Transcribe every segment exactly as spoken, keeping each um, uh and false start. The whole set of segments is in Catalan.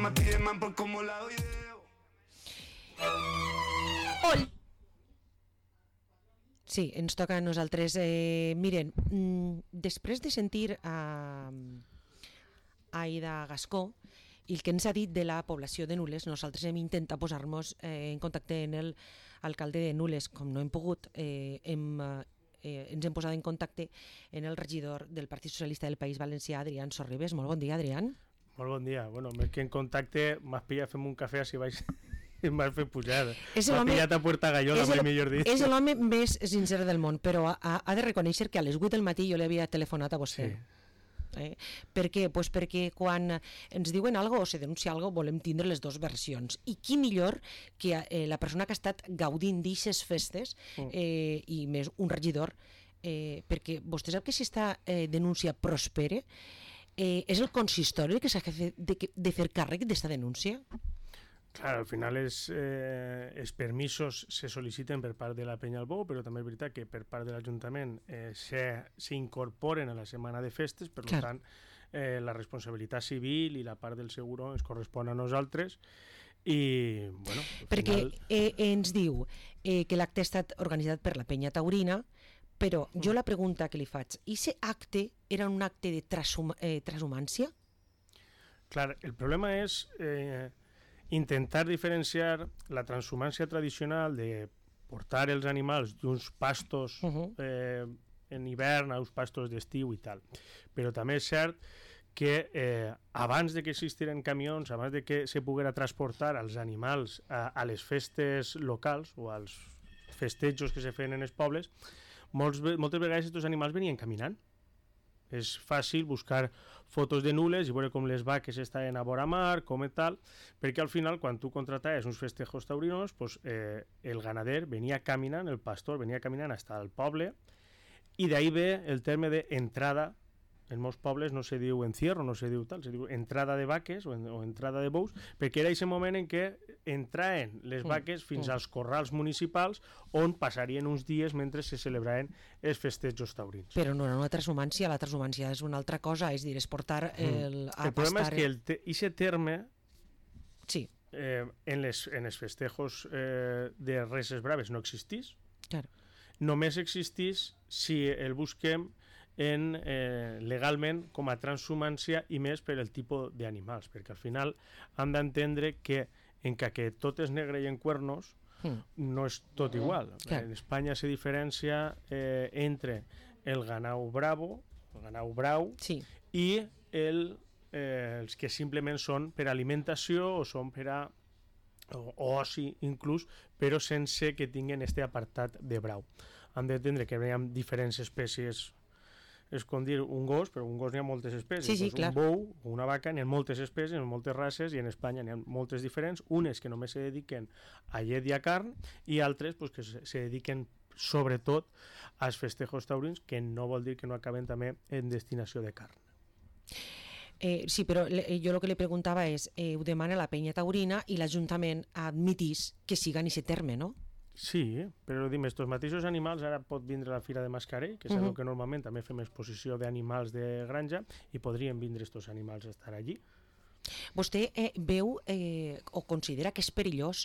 me pide más por cómo la doy de... Ol. Sí, ens toca a nosaltres. Eh, miren, mm, després de sentir a, a Aida Gascó i el que ens ha dit de la població de Nules, nosaltres hem intentat posar-nos eh, en contacte amb el alcalde de Nules, com no hem pogut, eh, hem, eh, ens hem posat en contacte amb el regidor del Partit Socialista del País Valencià, Adrián Sorribes. Molt bon dia, Adrián. Molt bon dia. Bueno, més que en contacte, m'has pillat fem un cafè si vaig... m'has fet pujar. M'ha pillat a Puerta Gallola, mai millor dit. És l'home més sincer del món, però ha, ha de reconèixer que a les vuit del matí jo li havia telefonat a vostè. Sí. Eh? Per què? Pues perquè quan ens diuen alguna cosa o se denuncia alguna cosa volem tindre les dues versions. I qui millor que eh, la persona que ha estat gaudint d'ixes festes eh, i més un regidor, eh, perquè vostè sap que si esta eh, denúncia prospere, eh, és el consistori que s'ha de, de, de fer càrrec d'esta denúncia? Clar, al final és, eh, els permisos se sol·liciten per part de la Penya al Bou, però també és veritat que per part de l'Ajuntament eh, s'incorporen a la setmana de festes, per Clar. tant eh, la responsabilitat civil i la part del seguro ens correspon a nosaltres i, bueno... Perquè final... eh, ens diu eh, que l'acte ha estat organitzat per la Penya Taurina, però jo la pregunta que li faig, i aquest acte era un acte de transhum eh, transhumància? Clar, el problema és... Eh, intentar diferenciar la transhumància tradicional de portar els animals d'uns pastos uh-huh. eh, en hivern a uns pastos d'estiu i tal. Però també és cert que eh, abans de que existiren camions, abans de que se poguera transportar els animals a, a les festes locals o als festejos que se feien en els pobles, molts, moltes vegades aquests animals venien caminant. És fàcil buscar fotos de Nules i veure com les vaques estaven a vora mar, com i tal, perquè al final quan tu contrataves uns festejos taurinos, pues, eh, el ganader venia caminant, el pastor venia caminant fins al poble, i d'ahí ve el terme d'entrada. En molts pobles no se diu encierro, no se diu tal, se diu entrada de vaques o, en, o entrada de bous, perquè era aquest moment en què entraven les vaques fins als corrals municipals on passarien uns dies mentre se celebraven els festejos taurins. Però no era una transhumància, la transhumància és una altra cosa, és dir, és portar el... Mm. El problema és que el te, ese terme sí. eh, en, les, en els festejos eh, de Reses Braves no existís. Claro. Només existís si el busquem en, eh, legalment com a transhumància i més per el tipus d'animals, perquè al final hem d'entendre que encara que tot és negre i en cuernos mm. no és tot igual. Clar. En Espanya se diferencia eh, entre el ganau bravo, el ganau brau sí. i el, eh, els que simplement són per alimentació o són per a o, o oci inclús, però sense que tinguin este apartat de brau. Hem d'entendre que hi ha diferents espècies. És com dir un gos, però un gos n'hi ha moltes espècies. Sí, sí, doncs un bou o una vaca n'hi ha moltes espècies, n'hi ha moltes races, i en Espanya n'hi ha moltes diferents, unes que només se dediquen a llet i a carn, i altres pues, que se, se dediquen sobretot als festejos taurins, que no vol dir que no acaben també en destinació de carn. Eh, sí, però le, jo el que li preguntava és, eh, ho demana la Penya Taurina i l'Ajuntament admitís que siga en aquest terme, no? Sí, però dim, estos mateixos animals ara pot vindre la Fira de Mascarell, que és uh-huh. que normalment també fem exposició d'animals de granja, i podrien vindre estos animals a estar allí. Vostè eh, veu eh, o considera que és perillós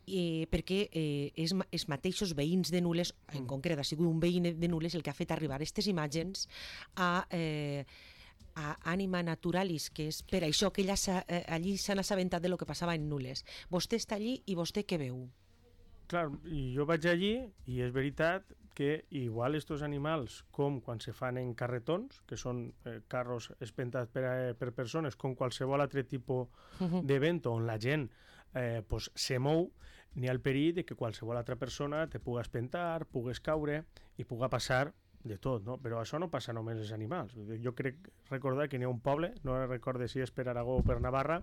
eh, perquè eh, és, els mateixos veïns de Nules, en mm. concret ha sigut un veí de Nules el que ha fet arribar aquestes imatges a... Eh, a Anima Naturalis, que és per això que ella eh, allí s'han assabentat de lo que passava en Nules. Vostè està allí i vostè què veu? Clar, jo vaig allí i és veritat que igual estos animals, com quan se fan en carretons, que són eh, carros espentats per, eh, per persones, com qualsevol altre tipus uh-huh. d'event on la gent eh, pues, se mou, n'hi ha el perill de que qualsevol altra persona te puga espentar, pugues caure i puga passar de tot, no? Però això no passa només als animals. Jo crec recordar que n'hi ha un poble, no recordo si és per Aragó o per Navarra,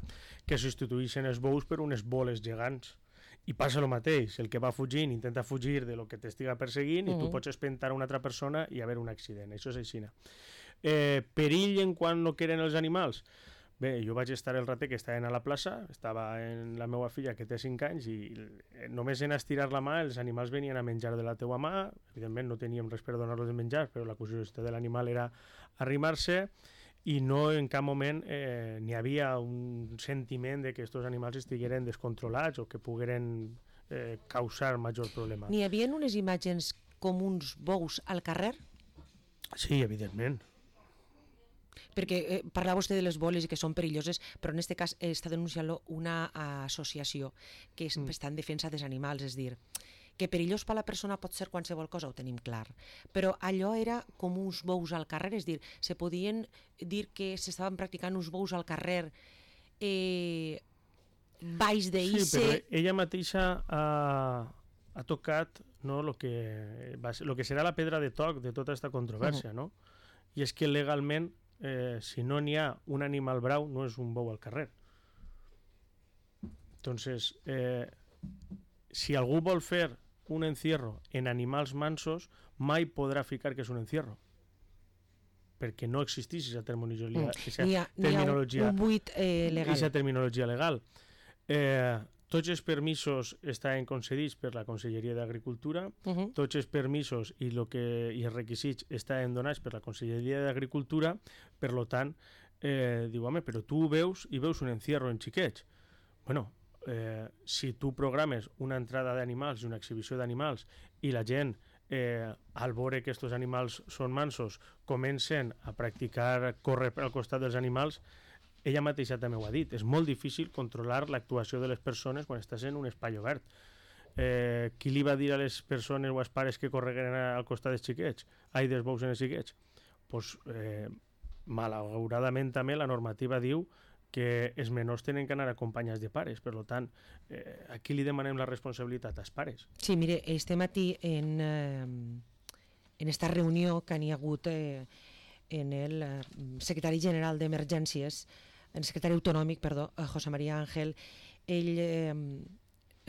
que substitueixen els bous per unes boles gegants. I passa el mateix, el que va fugint intenta fugir de lo que t'estiga perseguint uh-huh. i tu pots espentar a una altra persona i haver un accident, això és així. Eh, perill en quan no queren els animals? Bé, jo vaig estar el ratet que estaven a la plaça, estava en la meva filla que té cinc anys i només en estirar la mà els animals venien a menjar de la teua mà, evidentment no teníem res per donar-los de menjar, però la curiositat de l'animal era arrimar-se i no en cap moment eh, n'hi havia un sentiment de que aquests animals estigueren descontrolats o que pogueren eh, causar major problema. N'hi havia unes imatges com uns bous al carrer? Sí, evidentment. Perquè eh, parlava vostè de les boles i que són perilloses, però en aquest cas eh, està denunciant-lo una associació que és, mm. està en defensa dels animals, és dir, que perillós per a la persona pot ser qualsevol cosa, ho tenim clar, però allò era com uns bous al carrer, és dir, se podien dir que s'estaven practicant uns bous al carrer eh, baix d'I C... Sí, però ella mateixa ha, ha tocat no, lo que, va ser, lo que serà la pedra de toc de tota aquesta controvèrsia, uh-huh. no? I és que legalment, eh, si no n'hi ha un animal brau, no és un bou al carrer. Entonces, eh, si algú vol fer un encierro en animals mansos, mai podrà ficar que és un encierro. Perquè no existeix aquesta terminologia, mm. N'hi ha, terminologia, ha un buit eh, legal. Aquesta terminologia legal. Eh, tots els permisos estan concedits per la Conselleria d'Agricultura, uh-huh. tots els permisos i, lo que, i els requisits estan donats per la Conselleria d'Agricultura, per lo tant, eh, diu, home, però tu veus i veus un encierro en xiquets. Bueno, Eh, si tu programes una entrada d'animals i una exhibició d'animals i la gent, eh, al veure que aquests animals són mansos, comencen a practicar córrer al costat dels animals, ella mateixa també ho ha dit, és molt difícil controlar l'actuació de les persones quan estàs en un espai obert. Eh, qui li va dir a les persones o als pares que correguen al costat dels xiquets? Ai, dels bous en els xiquets? Pues, eh, malauradament també la normativa diu que els menors tenen que anar acompanyats de pares, per tant, eh, aquí li demanem la responsabilitat als pares. Sí, mire, este matí en, eh, en esta reunió que n'hi ha hagut eh, en el eh, secretari general d'Emergències, el secretari autonòmic, perdó, José María Ángel, ell eh,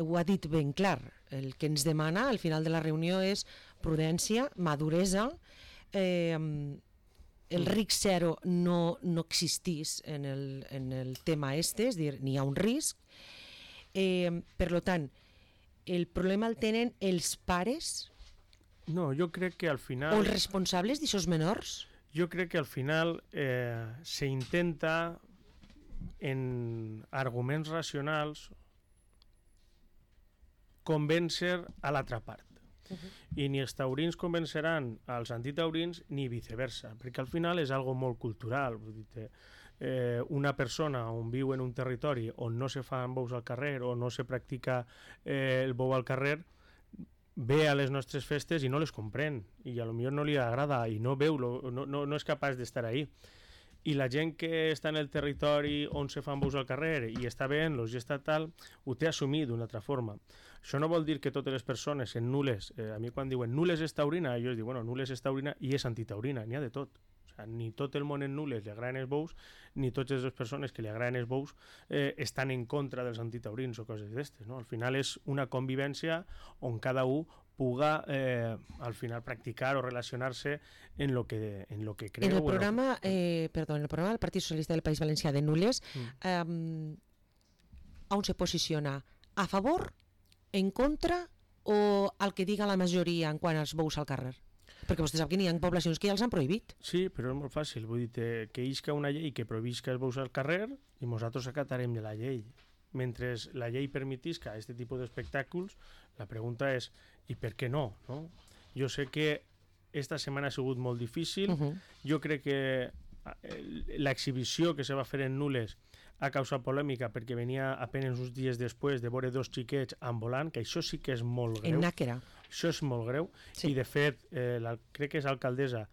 ho ha dit ben clar. El que ens demana al final de la reunió és prudència, maduresa, eh, el risc zero no, no existís en el, en el tema este, és dir, n'hi ha un risc. Eh, per tant, el problema el tenen els pares? No, jo crec que al final... O els responsables d'aixòs menors? Jo crec que al final eh, se intenta en arguments racionals convèncer a l'altra part. Uh-huh. I ni els taurins convenceran als antitaurins ni viceversa, perquè al final és algo molt cultural. Vull dir, eh, una persona on viu en un territori on no se fan bous al carrer o no se practica eh, el bou al carrer, ve a les nostres festes i no les comprèn i a lo millor no li agrada i no veu, no, no, no és capaç d'estar ahí. I la gent que està en el territori on se fan bous al carrer i està veient-los i està tal, ho té assumit d'una altra forma. Això no vol dir que totes les persones en nules, eh, a mi quan diuen nules és taurina, jo es dic, bueno, nules és taurina i és antitaurina, n'hi ha de tot. O sea, ni tot el món en nules li agraden els bous, ni totes les persones que li agraden els bous eh, estan en contra dels antitaurins o coses d'estes, no? Al final és una convivència on cada un puga eh, al final practicar o relacionar-se en lo que, en lo que creu. En el programa, eh, perdó, en el programa del Partit Socialista del País Valencià de Nules, mm. eh, on se posiciona? A favor, en contra o al que diga la majoria en quant als bous al carrer? Perquè vostè sap que n'hi ha poblacions que ja els han prohibit. Sí, però és molt fàcil. Vull dir que isca una llei que prohibisca els bous al carrer i nosaltres acatarem de la llei. Mentre la llei permetisca aquest tipus d'espectacles, la pregunta és i per què no? no? Jo sé que esta setmana ha sigut molt difícil. Uh-huh. Jo crec que l'exhibició que se va fer en Nules ha causat polèmica perquè venia apenas uns dies després de veure dos xiquets ambulant, que això sí que és molt greu. En Nàquera. Això és molt greu. Sí. I de fet, eh, la, crec que és alcaldessa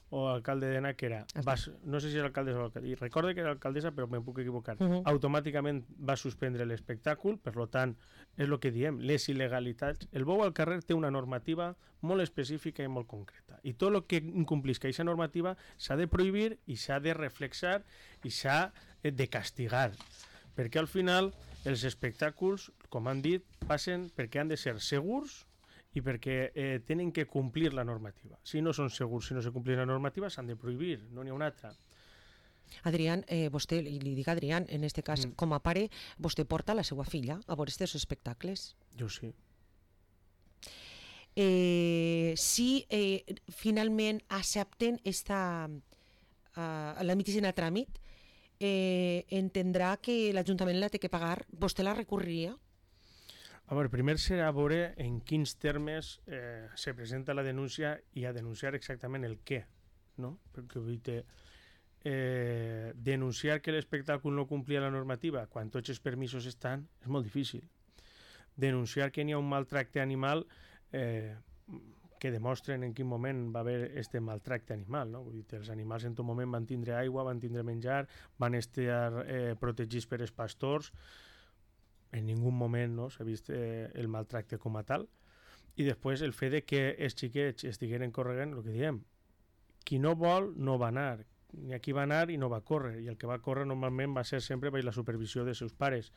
o alcalde de Nàquera, va, no sé si és alcaldessa o alcaldessa, i recordo que era alcaldessa però me'n puc equivocar, uh-huh. automàticament va suspendre l'espectacle, per tant, és el que diem, les il·legalitats. El bou al carrer té una normativa molt específica i molt concreta, i tot el que incomplisca aquesta normativa s'ha de prohibir i s'ha de reflexar i s'ha de castigar, perquè al final els espectacles, com han dit, passen perquè han de ser segurs i perquè eh, tenen que complir la normativa. Si no són segurs, si no se complir la normativa, s'han de prohibir, no n'hi ha una altra. Adrián, eh, vostè, i li dic a Adrián, en aquest cas, mm. com a pare, vostè porta la seva filla a veure aquests espectacles? Jo sí. Eh, si eh, finalment accepten esta a la medicina a tràmit, eh, entendrà que l'Ajuntament la té que pagar, vostè la recorreria? A veure, primer serà veure en quins termes eh, se presenta la denúncia i a denunciar exactament el què, no? Perquè vull dir, eh, denunciar que l'espectacle no complia la normativa quan tots els permisos estan és molt difícil. Denunciar que n'hi ha un maltracte animal eh, que demostren en quin moment va haver aquest maltracte animal, no? Vull dir, els animals en tot moment van tindre aigua, van tindre menjar, van estar eh, protegits per els pastors, en ningú moment no, s'ha vist eh, el maltracte com a tal, i després el fet de que els xiquets estigueren corregant, el que diem, qui no vol no va anar, ni aquí va anar i no va córrer, i el que va córrer normalment va ser sempre per la supervisió dels seus pares.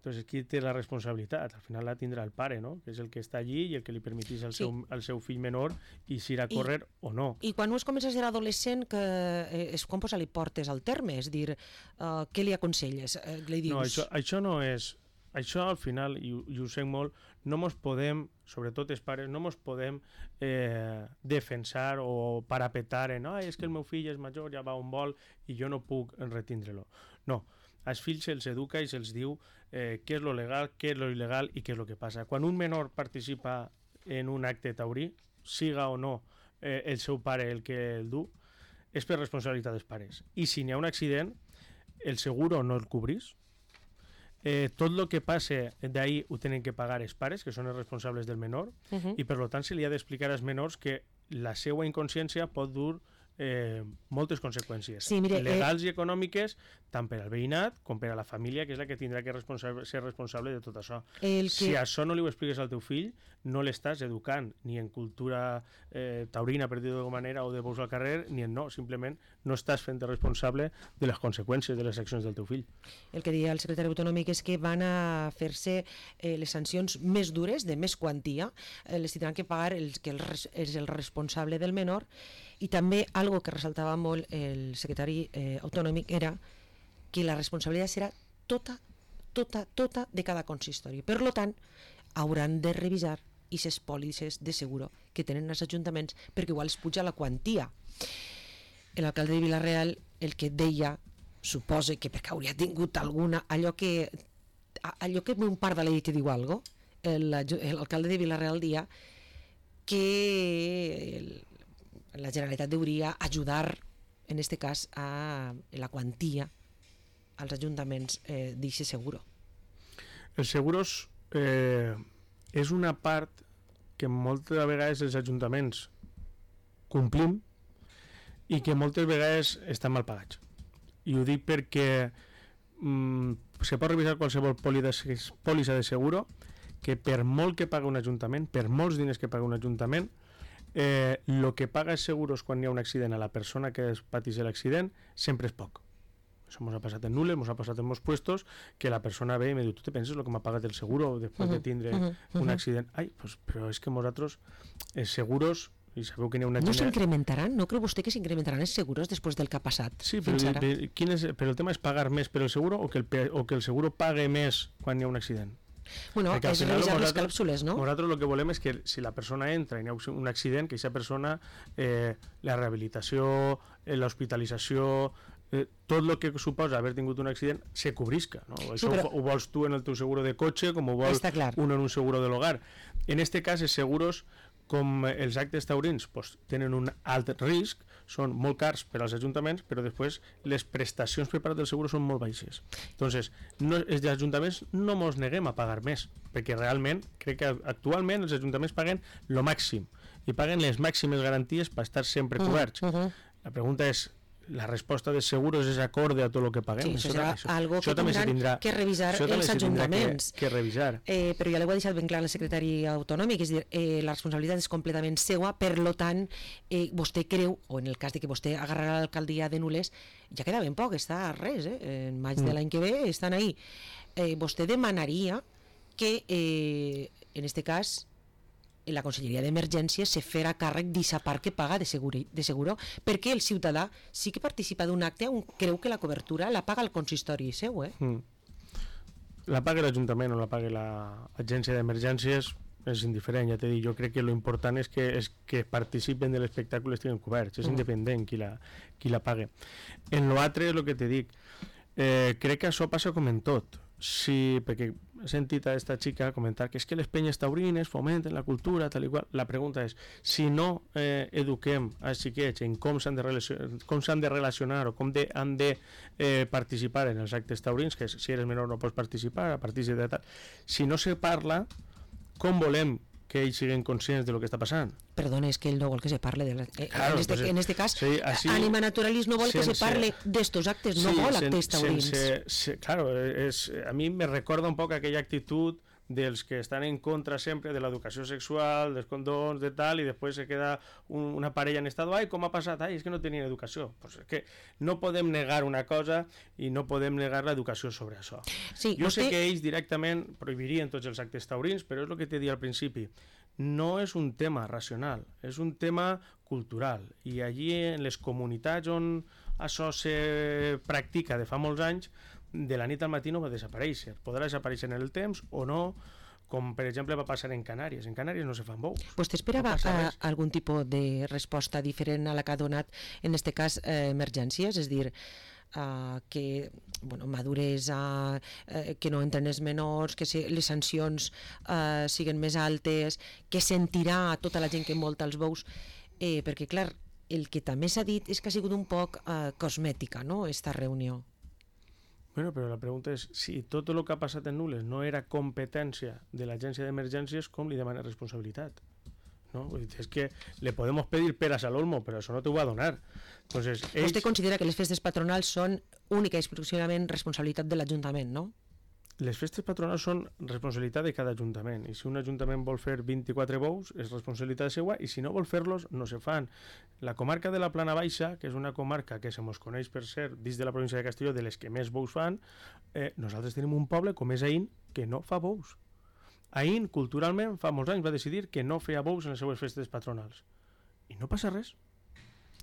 Entonces, qui té la responsabilitat? Al final la tindrà el pare, no? Que és el que està allí i el que li permetís al, sí. seu, al seu fill menor i si irà a córrer I, o no. I quan es comença a ser adolescent, que eh, és quan posa-li portes al terme? És dir, uh, què li aconselles? Uh, li dius... No, això, això no és... Això al final, i, i ho sé molt, no mos podem, sobretot els pares, no mos podem eh, defensar o parapetar en ah, és que el meu fill és major, ja va on vol i jo no puc retindre-lo. No, als fills se'ls educa i se'ls diu eh, què és lo legal, què és lo il·legal i què és lo que passa. Quan un menor participa en un acte taurí, siga o no eh, el seu pare el que el du, és per responsabilitat dels pares. I si n'hi ha un accident, el seguro no el cobrís. Eh, tot el que passe d'ahir ho tenen que pagar els pares, que són els responsables del menor, uh-huh. i per tant se li ha d'explicar als menors que la seva inconsciència pot dur eh, moltes conseqüències, sí, mire, legals eh... i econòmiques, tant per al veïnat com per a la família, que és la que tindrà que responsable, ser responsable de tot això. El que... Si això no li ho expliques al teu fill, no l'estàs educant ni en cultura eh, taurina, per dir-ho d'alguna manera, o de bous al carrer, ni en no, simplement no estàs fent responsable de les conseqüències de les accions del teu fill. El que deia el secretari autonòmic és que van a fer-se eh, les sancions més dures, de més quantia, eh, les tindran que pagar els que el, és el responsable del menor, i també algo que ressaltava molt el secretari eh, autonòmic era que la responsabilitat serà tota, tota, tota de cada consistori. Per tant, hauran de revisar aquestes pòlisses de seguro que tenen els ajuntaments perquè igual es puja la quantia. L'alcalde de Vila-real el que deia, suposa que perquè hauria tingut alguna, allò que allò que un part de la llei que diu alguna cosa, l'alcalde de Vila-real dia que el, la Generalitat hauria ajudar en aquest cas a la quantia als ajuntaments eh, d'aquest seguro. Els seguros eh, és una part que moltes vegades els ajuntaments complim i que moltes vegades estan mal pagats. I ho dic perquè mm, se pot revisar qualsevol pòlissa de seguro que per molt que paga un ajuntament, per molts diners que paga un ajuntament, eh, lo que paga els seguros quan hi ha un accident a la persona que pateix l'accident sempre és poc. Això ens ha passat en Nules, ens ha passat en molts puestos, que la persona ve i me diu, tu te penses el que m'ha pagat el seguro després uh-huh, de tindre uh-huh, un uh-huh. accident? Ai, pues, però és que nosaltres, els seguros, i sabeu que n'hi ha una... No s'incrementaran? No creu vostè que s'incrementaran els seguros després del que ha passat? Sí, però, però, quin és, però el tema és pagar més per el seguro o que el, o que el seguro pague més quan hi ha un accident? Bueno, és revisar les clàusules, no? Nosaltres el que volem és que si la persona entra i hi ha un accident, que aquesta persona, eh, la rehabilitació, eh, l'hospitalització, eh, tot el que suposa haver tingut un accident se cobrisca, no? Sí, això però... ho, ho vols tu en el teu seguro de cotxe com ho vols un en un seguro de l'hogar. En este cas, els seguros, com els actes taurins, pues, tenen un alt risc, són molt cars per als ajuntaments, però després les prestacions per part del seguro són molt baixes. Entonces, no, els ajuntaments no mos neguem a pagar més, perquè realment, crec que actualment els ajuntaments paguen lo màxim, i paguen les màximes garanties per estar sempre coberts. Uh -huh. La pregunta és, la resposta de seguros és acorde a tot el que paguem? Sí, això serà això, algo que tindran tindrà, que revisar els ajuntaments. Que, que revisar. Eh, però ja l'ho ha deixat ben clar el secretari autonòmic, és dir, eh, la responsabilitat és completament seua, per lo tant, eh, vostè creu, o en el cas de que vostè agarrarà l'alcaldia de Nules, ja queda ben poc, està a res, eh? En maig mm. de l'any que ve estan ahí. Eh, vostè demanaria que, eh, en este cas, la Conselleria d'Emergències se farà càrrec d'aquesta part que paga de seguro, de seguro, perquè el ciutadà sí que participa d'un acte on creu que la cobertura la paga el consistori seu, eh? Mm. La paga l'Ajuntament o la paga l'Agència d'Emergències, és indiferent, ja t'he dit, jo crec que lo important és que, és que participen de l'espectacle estiguin coberts, és independent qui la, qui la pague. En l'altre és el que te dic, eh, crec que això passa com en tot, sí, perquè he sentit a esta xica comentar que és que les penyes taurines fomenten la cultura, tal i qual. La pregunta és, si no eh, eduquem als xiquets en com s'han de, com s'han de relacionar o com de, han de eh, participar en els actes taurins, que si eres menor no pots participar, a partir de tal, si no se parla, com volem que ells siguin conscients de lo que està passant? Perdona, és que ell no vol que se parle de la... eh, claro, en, este, pues, en este cas, sí, así, Ànima Naturalis no vol sense, que se parle d'estos actes, no sí, vol actes taurins. Sense, se, claro, és, a mi me recorda un poc aquella actitud dels que estan en contra sempre de l'educació sexual, dels condons, de tal, i després se queda un, una parella en estat, ai, com ha passat? Ai, és que no tenien educació. Pues és que no podem negar una cosa i no podem negar l'educació sobre això. Sí, jo vostè... sé que ells directament prohibirien tots els actes taurins, però és el que t'he dit al principi. No és un tema racional, és un tema cultural. I allí, en les comunitats on això se practica de fa molts anys, de la nit al matí no va desaparèixer. Podrà desaparèixer en el temps o no, com per exemple va passar en Canàries. En Canàries no se fan bous. Vostè esperava no a, algun tipus de resposta diferent a la que ha donat, en aquest cas, eh, emergències? És dir, Uh, que bueno, maduresa, uh, que no entren els menors, que si, les sancions uh, siguin més altes, que sentirà tota la gent que envolta els bous, eh, perquè clar, el que també s'ha dit és que ha sigut un poc uh, cosmètica, no?, esta reunió. Bueno, però la pregunta és, si tot el que ha passat en Nules no era competència de l'agència d'emergències, com li demana responsabilitat? ¿No? Es que le podemos pedir peras al olmo, pero eso no te va a donar. Entonces, ells... Vostè considera que les festes patronals són única i exclusivament responsabilitat de l'Ajuntament, no? Les festes patronals són responsabilitat de cada ajuntament, i si un ajuntament vol fer vint-i-quatre bous és responsabilitat seva, i si no vol fer-los no se fan. La comarca de la Plana Baixa, que és una comarca que se mos coneix per ser dins de la província de Castelló de les que més bous fan, eh, nosaltres tenim un poble com és Aín que no fa bous. Aín, culturalment, fa molts anys va decidir que no feia bous en les seues festes patronals. I no passa res.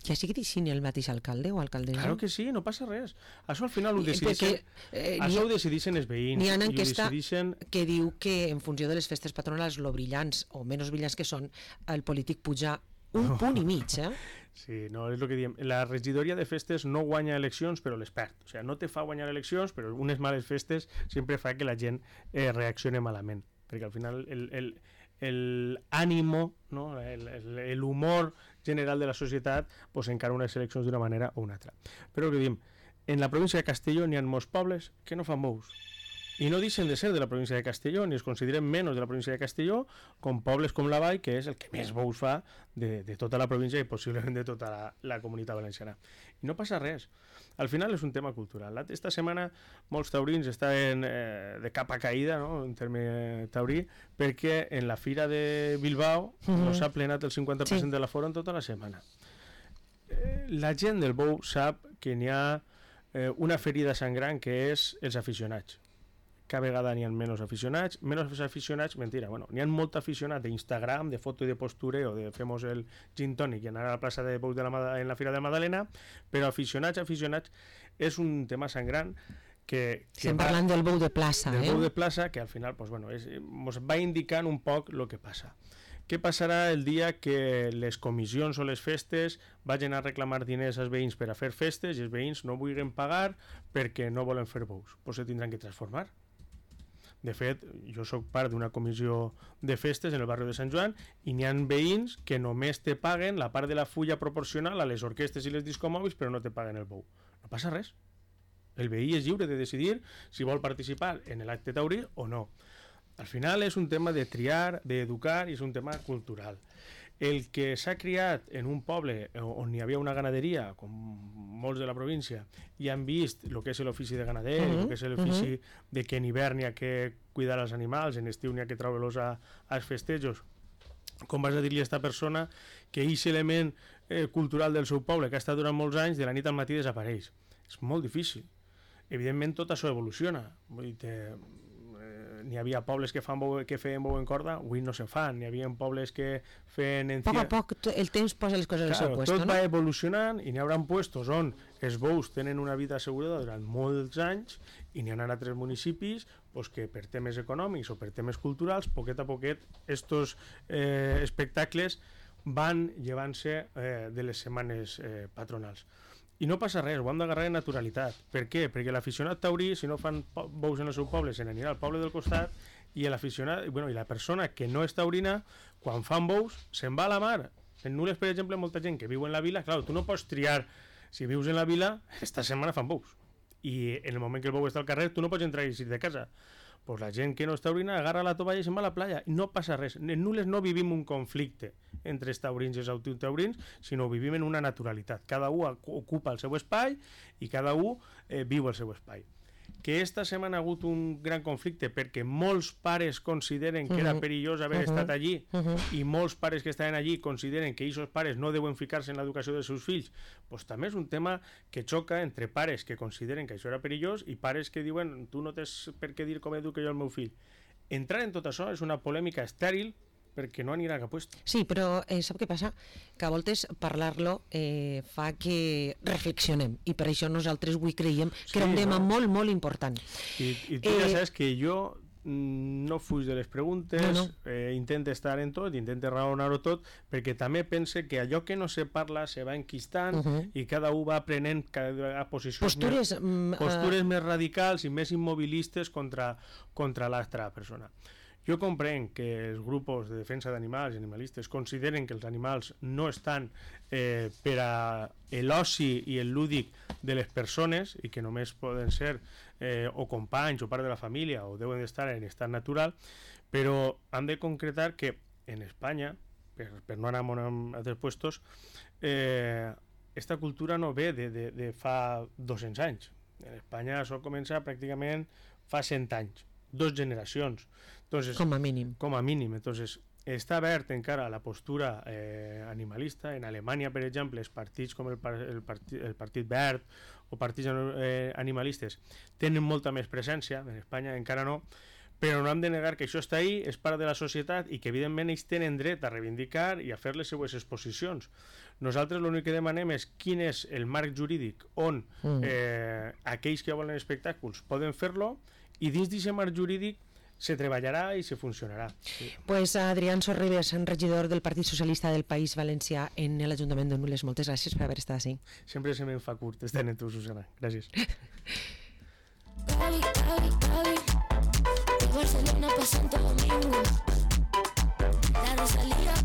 Ja sigui decidint el mateix alcalde o alcaldessa? Claro que sí, no passa res. Això al final ho decideixen, eh, això ho decideixen els veïns. N'hi ha una enquesta decidixen... que diu que en funció de les festes patronals, lo brillants o menys brillants que són, el polític puja un no. punt i mig, eh? Sí, no, és el que diem. La regidoria de festes no guanya eleccions, però les perd. O sigui, no te fa guanyar eleccions, però unes males festes sempre fa que la gent eh, reaccione malament. Perquè al final el, el, el ànimo, no? el, el, el humor general de la societat pues, encara unes eleccions d'una manera o una altra. Però el que diem, en la província de Castelló n'hi ha molts pobles que no fan bous. I no deixen de ser de la província de Castelló, ni es consideren menys de la província de Castelló, com pobles com la Vall, que és el que més bous fa de, de tota la província i possiblement de tota la, la comunitat valenciana. I no passa res. Al final és un tema cultural. Esta setmana molts taurins estan eh, de capa caïda, no?, en terme taurí, perquè en la fira de Bilbao mm-hmm. no s'ha plenat el cinquanta per cent sí. de l'aforo en tota la setmana. Eh, la gent del bou sap que n'hi ha eh, una ferida sangrant que és els aficionats. Cada vegada n'hi ha menys aficionats, menys aficionats, mentira, bueno, n'hi ha molt aficionat d'Instagram, de foto i de postureo, de femos el gin tònic i anar a la plaça de bous de la, en la Fira de Madalena, però aficionats, aficionats, és un tema sangrant que... que Estem va, parlant del bou de plaça, del eh? Del bou de plaça, que al final, pues, bueno, és, ens va indicant un poc el que passa. Què passarà el dia que les comissions o les festes vagin a reclamar diners als veïns per a fer festes i els veïns no vulguin pagar perquè no volen fer bous? Pues se tindran que transformar. De fet, jo sóc part d'una comissió de festes en el barri de Sant Joan i n'hi ha veïns que només te paguen la part de la fulla proporcional a les orquestes i les discomòbils, però no te paguen el bou. No passa res. El veí és lliure de decidir si vol participar en l'acte taurí o no. Al final és un tema de triar, d'educar, i és un tema cultural. El que s'ha criat en un poble on hi havia una ganaderia, com molts de la província, i han vist el que és l'ofici de ganader, el uh-huh, que és l'ofici uh-huh. de que en hivern hi ha que cuidar els animals, en estiu n'hi ha que treure-los als festejos. Com vas a dir-li a aquesta persona que aquest element eh, cultural del seu poble, que ha estat durant molts anys, de la nit al matí desapareix? És molt difícil. Evidentment tot això evoluciona. Vull dir, eh, n'hi havia pobles que, fan bou, que feien bou en corda, avui no se fan. N'hi havia pobles que feien... A poc a poc el temps posa les coses al seu puesto, tot no? va evolucionant i n'hi haurà puestos on els bous tenen una vida assegurada durant molts anys i n'hi ha altres municipis pues, que per temes econòmics o per temes culturals, poquet a poquet, estos eh, espectacles van llevant-se eh, de les setmanes eh, patronals. I no passa res, ho hem d'agarrar en naturalitat. Per què? Perquè l'aficionat taurí, si no fan bous en el seu poble, se n'anirà al poble del costat i l'aficionat, bueno, i la persona que no és taurina, quan fan bous, se'n va a la mar. En Nules, per exemple, molta gent que viu en la vila, clar, tu no pots triar, si vius en la vila, esta setmana fan bous. I en el moment que el bou està al carrer, tu no pots entrar i eixir de casa. Pues la gent que no és taurina agarra la tovalla i se'n va a la playa i no passa res. En Nules no vivim un conflicte entre els taurins i els antitaurins, sinó vivim en una naturalitat. Cada un ocupa el seu espai i cada un eh, viu el seu espai. Que esta setmana ha hagut un gran conflicte perquè molts pares consideren que era perillós haver uh-huh. estat allí uh-huh. i molts pares que estaven allí consideren que aquests pares no deuen ficar-se en l'educació dels seus fills, pues també és un tema que xoca entre pares que consideren que això era perillós i pares que diuen tu no tens per què dir com educo jo el meu fill. Entrar en tot això és una polèmica estèril perquè no anirà cap puesto. Sí, però eh, sap què passa? Que a voltes parlar-lo eh, fa que reflexionem i per això nosaltres avui creiem que sí, era un tema no? molt, molt important. I, i tu eh... ja saps que jo no fuig de les preguntes, no, no. Eh, intente estar en tot, intente raonar-ho tot, perquè també pense que allò que no se parla se va enquistant uh-huh. i cada un va aprenent cada vegada posicions postures, més, mm, postures uh... més radicals i més immobilistes contra, contra l'altra persona. Jo comprenc que els grups de defensa d'animals i animalistes consideren que els animals no estan eh, per a l'oci i el lúdic de les persones i que només poden ser eh, o companys o part de la família o deuen estar en estat natural, però han de concretar que en Espanya, per, per no anar a altres puestos, eh, esta cultura no ve de, de, de fa dos-cents anys. En Espanya això comença pràcticament fa cent anys, dos generacions. Entonces, com a mínim. Com a mínim. Entonces, està obert encara la postura eh, animalista. En Alemanya, per exemple, els partits com el, par el, partit, el Partit Verd o partits eh, animalistes tenen molta més presència. En Espanya encara no. Però no hem de negar que això està ahí, és part de la societat i que evidentment ells tenen dret a reivindicar i a fer les seues exposicions. Nosaltres l'únic que demanem és quin és el marc jurídic on mm. eh, aquells que volen espectacles poden fer-lo i dins d'aquest marc jurídic se treballarà i se funcionarà. Sí. Pues Adrián Sorribes, regidor del Partit Socialista del País Valencià en l'Ajuntament de Nules. Moltes gràcies per haver estat així. Sempre se me'n fa curt estar en tu, Susana. Gràcies. Barcelona pa' Santo Domingo. La Rosalía